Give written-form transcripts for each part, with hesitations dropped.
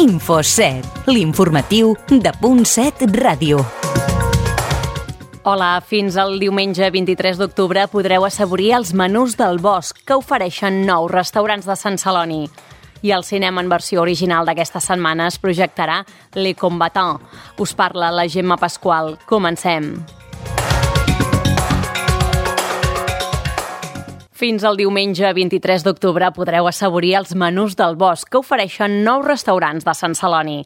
Info7, l'informatiu de .7 Ràdio. Hola, fins al diumenge 23 d'octubre podreu assaborir els menús del bosc que ofereixen 9 restaurants de Sant Celoni. I al cinema en versió original d'aquesta setmana es projectarà Le Combattant. Us parla la Gemma Pasqual. Comencem. Fins al diumenge 23 d'octubre podreu assaborir els menús del bosc que ofereixen 9 restaurants de Sant Celoni.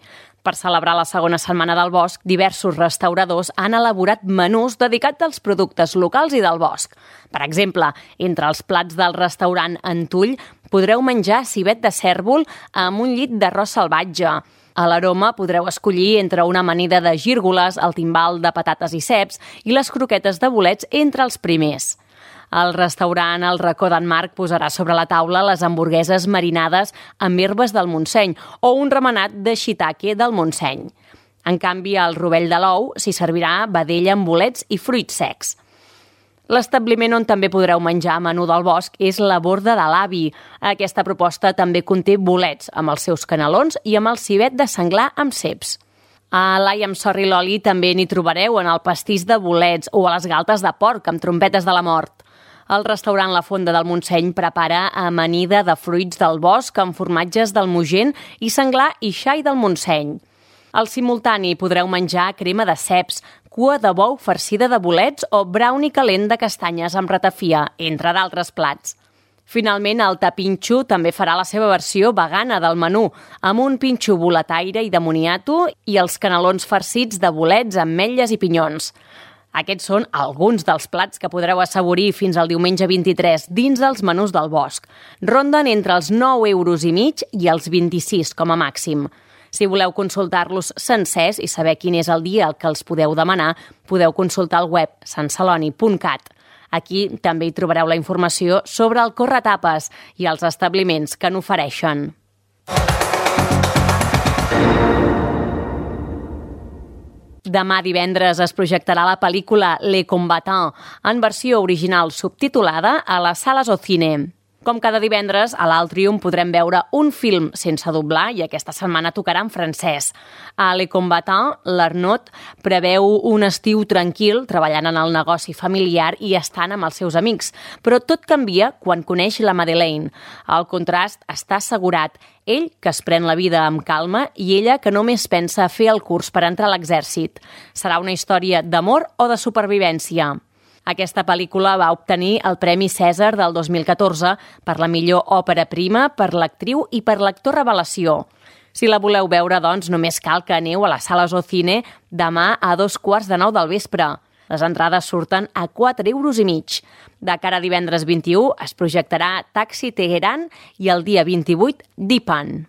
Per celebrar la segona setmana del bosc, diversos restauradors han elaborat menús dedicats als productes locals i del bosc. Per exemple, entre els plats del restaurant Antull podreu menjar civet de cèrvol amb un llit d'arròs salvatge. A l'Aroma podreu escollir entre una amanida de gírgoles, el timbal de patates i ceps i les croquetes de bolets entre els primers. El restaurant El Racó d'en Marc posarà sobre la taula les hamburgueses marinades amb herbes del Montseny o un remenat de shiitake del Montseny. En canvi, al Rovell de l'Ou s'hi servirà vedella amb bolets i fruits secs. L'establiment on també podreu menjar menú del bosc és la Borda de l'Avi. Aquesta proposta també conté bolets amb els seus canelons i amb el civet de senglar amb ceps. A l'Ai amb Sorri l'Oli també n'hi trobareu en el pastís de bolets o a les galtes de porc amb trompetes de la mort. El restaurant La Fonda del Montseny prepara amanida de fruits del bosc amb formatges del Mogent i senglar i xai del Montseny. Al simultani podreu menjar crema de ceps, cua de bou farcida de bolets o brownie calent de castanyes amb ratafia, entre d'altres plats. Finalment, el Tapinxo també farà la seva versió vegana del menú, amb un pinxo boletaire i de moniato i els canelons farcits de bolets, ametlles i pinyons. Aquests són alguns dels plats que podreu assaborir fins al diumenge 23 dins dels menús del bosc. Ronden entre els 9,5 € i els 26 com a màxim. Si voleu consultar-los sencers i saber quin és el dia al que els podeu demanar, podeu consultar el web santceloni.cat. Aquí també hi trobareu la informació sobre el corretapes i els establiments que n'ofereixen. Demà divendres es projectarà la pel·lícula Le Combattant en versió original subtitulada a les sales Ocine. Com cada divendres, a l'Altrium podrem veure un film sense doblar i aquesta setmana tocarà en francès. A Le Combattant, l'Arnaud preveu un estiu tranquil treballant en el negoci familiar i estant amb els seus amics, però tot canvia quan coneix la Madeleine. El contrast està assegurat, ell que es pren la vida amb calma i ella que només pensa a fer el curs per entrar a l'exèrcit. Serà una història d'amor o de supervivència. Aquesta pel·lícula va obtenir el Premi Cèsar del 2014 per la millor òpera prima, per l'actriu i per l'actor revelació. Si la voleu veure, doncs, només cal que aneu a les sales Ocine demà a 9:15 del vespre. Les entrades surten a 4,5 €. De cara a divendres 21 es projectarà Taxi Teheran i el dia 28 Dipan.